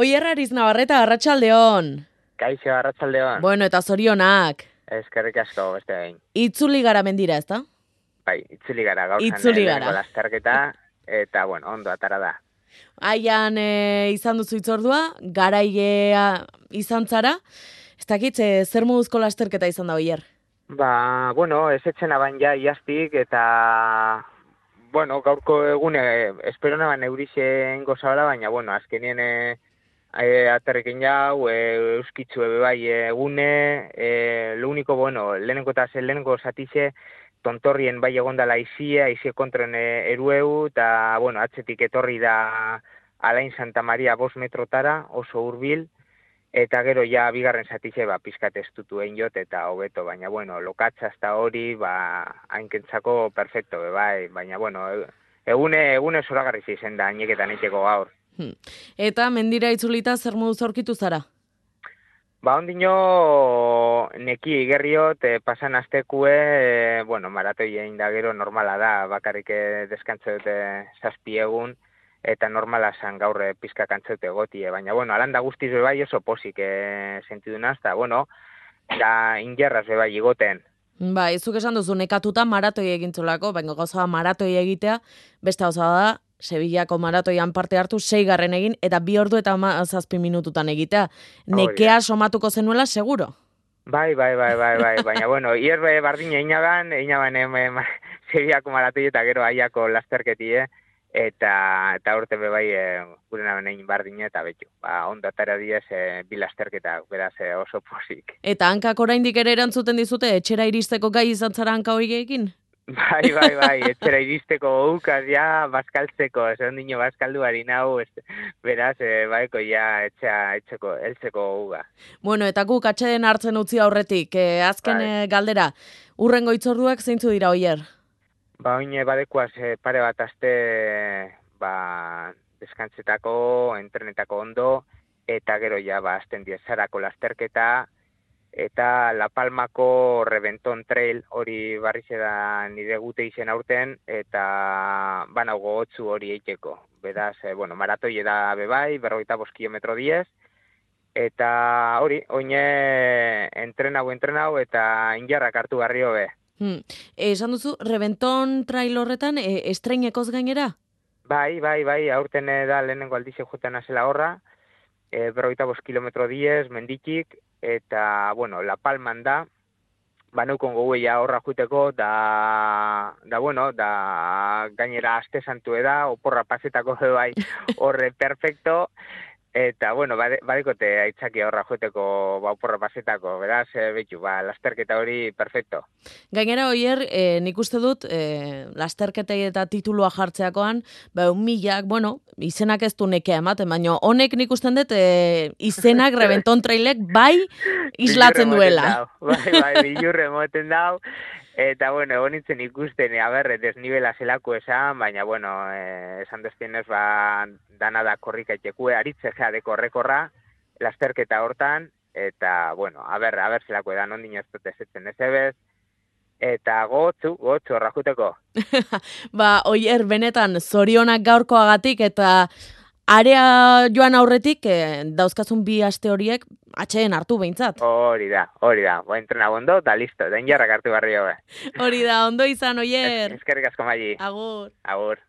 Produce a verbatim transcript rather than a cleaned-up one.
Oier Ariz Navarreta, arratsaldeon. Kaixo, arratsaldeon. Bueno, eta zorionak. Eskerrik asko, beste behin. Itzuli gara mendira, ezta? Bai, itzuli gara gauzan Itzuli gara. lehenengo lasterketa, eta, bueno, ondo atara da. Aian e, izan duzu itzordua, garailea izan zara. Ez dakit, e, zer moduzko lasterketa izan da, Oier? Ba, bueno, ez etxena bain ja iaztik, eta, bueno, gaurko egune, espero naban eurixen gozabala, baina, bueno, azkenien e, e, aterrekin jau, e, euskitzu ebe bai egune, e, lo único, bueno, lehenengo eta zen lehenengo zatize, tontorrien bai egondala izie, izie kontron erueu, eta, bueno, atzetik etorri da Alain Santa Maria bost metrotara, oso hurbil, eta gero ja bigarren zatize, ba, pizkat estutu egin jot, eta hobeto, baina, bueno, lokatza hasta hori, ba, hainkentzako perfecto, be, bai, baina, bueno, egune, egune zoragarri izen da, haineketan eiteko gaur. Hmm. Eta mendira itzulita zer moduz aurkitu zara? Ba, ondino neki igerriot, e, pasan aztekue, e, bueno, maratoi egin da gero normala da, bakarrik deskantze dute zazpi egun, eta normala zan gaur pizka kantzeute gotie, baina, bueno, alanda guztiz bebai oso posik e, sentidunaz, eta, bueno, da ingerraz bebai igoten. Ba, izuk esan duzu nekatuta maratoi egintzulako, baina gauza maratoi egitea, beste gauza da, Sevillako maratoian parte hartu seigarren egin, eta bi ordu eta zazpi minututan egitea. Nekea somatuko zenuela, seguro? Bai, bai, bai, bai, bai, baina, bueno, hierbe bardina einaban, einaban em, Sevillako maratoi eta gero aiako lasterketie, eta eta urte be bai e, gure naben egin bardina eta betu. Ba, ondo atara diez e, bi lasterketa, beraz e, oso posik. Eta hankak oraindik ere erantzuten dizute, etxera iristeko gai izan zara hanka horiekin? Bai, bai, bai, etxera iristeko ukaz, ja, bazkaltzeko, ez ondino bazkaldu harin hau, beraz, e, baiko, ja, etxea, etxeko, eltzeko uga. Bueno, eta guk atxeden hartzen utzi aurretik, e, azken bai. e, galdera, urrengo itzorduak zeintzu dira, Oier? Ba, oine badekuaz e, pare bat aste, ba, deskantzetako, entrenetako ondo, eta gero, ja, ba, azten diezarako lasterketa, eta La Palmako Reventon Trail hori barrize da nire gute izen aurten, eta bana gogotzu hori eiteko. Beraz, eh, bueno, maratoi da bebai, berrogeita bost kilometro diez, eta hori, oine entrenau, entrenau, eta injarrak hartu garrio be. Hmm. E, esan duzu, Reventon Trail horretan, e, estreinekoz gainera? Bai, bai, bai, aurten da lehenengo aldize jutan azela horra, e, berrogeita bost kilometro diez, menditik, eta, bueno, La Palman da, baneukon gogueia horra juteko, da, da, bueno, da, gainera aste santu eda, oporra pasetako bai horre perfecto, eta, bueno, badekote aitzaki horra juteko ba, oporra pasetako, beraz, e, betu, ba, lasterketa hori perfecto. Gainera, Oier, e, nik uste dut, e, lasterketei eta titulua jartzeakoan, ba, milak, bueno, izenak ez du nekea ematen, baina honek nik usten dut, e, izenak Reventon Trailek bai islatzen duela. Bai, bai, bilurre moten dau, eta, bueno, egon nintzen ikusten, aber, desnibela zelako esan, baina, bueno, eh, esan deztenez, ba, dana da korrika etxekue, aritze gea de korrekorra, lasterketa hortan, eta, bueno, aber, aber zelako edan ondino ez dut ezetzen ez ebez, eta gotzu, gotzu, horra juteko. Ba, Oier, benetan, zorionak gaurkoagatik, eta area joan aurretik, eh, dauzkazun bi aste horiek, atxeen hartu behintzat. Hori da, hori da, bo entrena bondo, eta listo, den jarrak hartu barrio be. Hori da, ondo izan, Oier. Eskerrik asko maili. Agur. Agur.